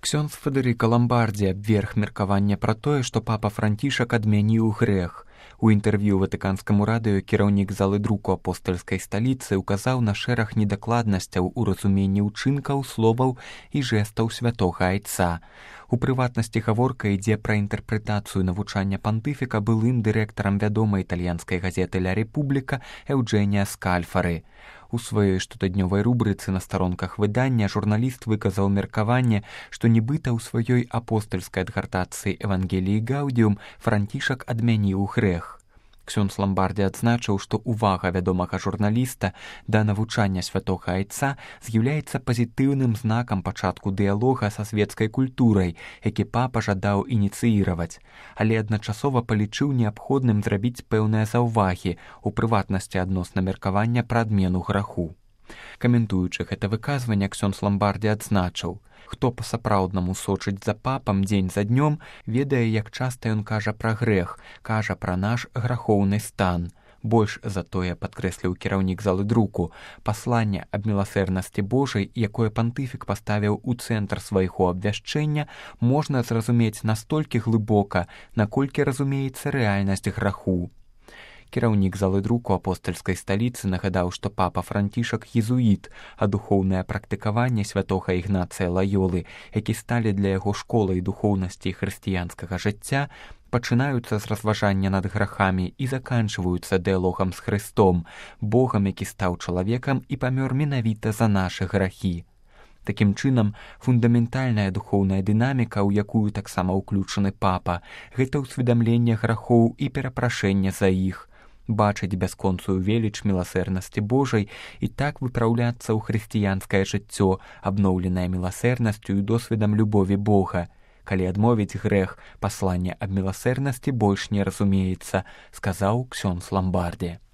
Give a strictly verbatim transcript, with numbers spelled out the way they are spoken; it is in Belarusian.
Ксёндз Федэрыка Ламбардзі абверг меркаванне пра тое, што папа Францішак адмяніў грэх. У інтэрв'ю ватыканскаму радыё кіраўнік залы друку апостальскай сталіцы ўказаў на шэраг недакладнасцяў у разуменні ўчынкаў, словаў і жэстаў святога айца. У прыватнасці гаворка ідзе пра інтэрпрэтацыю навучання пантыфіка былым дырэктарам вядомай італьянскай газеты «Ля Републіка» Эўджэнія Скальфары. У сваёй штотыднёвай рубрыцы на старонках выдання журналіст выказаў меркаванне, што нібыта ў сваёй апостальскай адгартацыі «Евангеліі Гаудіум» Францішак адмяніў грэх. Ксёндз Ламбардзі адзначыў, што ўвага вядомага журналіста да навучання святога айца з'яўляецца пазітыўным знакам пачатку дыялога са свецкай культурай, які папа жадаў ініцыіраваць, але адначасова палічыў неабходным зрабіць пэўныя заўвагі, у прыватнасці адносна меркавання пра адмену граху. Каментуючы гэта выказванне, Ксёндз Ламбардзі адзначыў: «Хто па-сапраўднаму сочыць за папам дзень за днём, ведае, як часта ён кажа пра грэх, кажа пра наш грахоўны стан». Больш за тое, падкрэсліў кіраўнік залы друку, пасланне аб міласэрнасці Божай, якое пантыфік паставіў у цэнтр свайго абвяшчэння, можна зразумець настолькі глыбока, наколькі разумеецца рэальнасць граху. Кіраўнік залы друку апостальскай сталіцы нагадаў, што папа Францішак езуіт, а духоўнае практыкаванне святога Ігнацыя Лаёлы, які сталі для яго школай духоўнасці хрысціянскага жыцця, пачынаюцца з разважання над грахамі і заканчваюцца дыялогам з Хрыстом, Богам, які стаў чалавекам і памёр менавіта за нашы грахі. Такім чынам, фундаментальная духоўная дынаміка, у якую таксама ўключаны папа, гэта ўсведамленне грахоў і перапрашэнне за іх, бачыць бясконцую веліч міласэрнасці Божай і так выпраўляцца ў хрысціянскае жыццё, абноўленае міласэрнасцю і досведам любові Бога. Калі адмовіць грэх, пасланне аб міласэрнасці больш не разумеецца, сказаў Ксёндз Ламбардзі.